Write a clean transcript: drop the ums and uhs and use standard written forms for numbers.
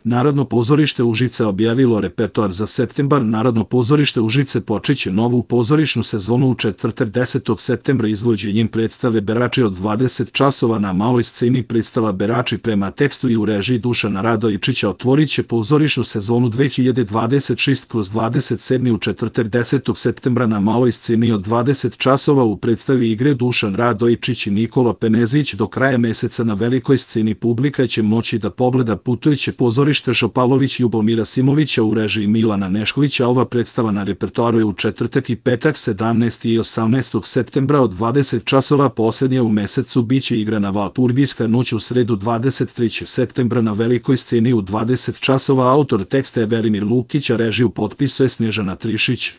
Narodno pozorište Užice objavilo repertoar za septembar. Narodno pozorište Užice počeće novu pozorišnu sezonu u četvrtak 10. septembra izvođenjem predstave Berači od 20 časova na maloj sceni. Predstava Berači prema tekstu i u režiji Dušana Radojičića otvorit će pozorišnu sezonu 2026/27 u četvrtak 10. septembra na maloj sceni od 20 časova. U predstavi igre Dušan Radojičić i Nikola Penezić. Do kraja meseca na velikoj sceni publika će moći da pogleda putujuće pozorište Šopalović Ljubomira Simovića u režiji Milana Neškovića. Ova predstava na repertoaru je u četvrtak i petak 17. i 18. septembra od 20 časova. Poslednja u mesecu biće igrana Valpurgijska noć u sredu 23. septembra na velikoj sceni u 20 časova. Autor teksta je Velimir Lukić, a režiju potpisuje Snežana Trišić.